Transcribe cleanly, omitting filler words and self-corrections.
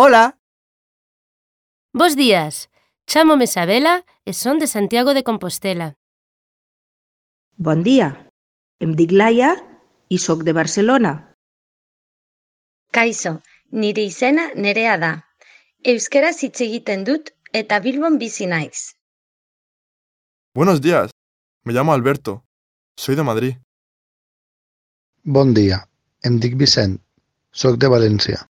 Hola! Bos días, chámome Isabela e son de Santiago de Compostela. Bon dia, em dic Laia i sóc de Barcelona. Kaixo, nire izena Nerea da. Euskaraz hitz egiten dut eta Bilbon bizi naiz. Buenos días, me llamo Alberto, soy de Madrid. Bon dia, em dic Vicent, soc de València.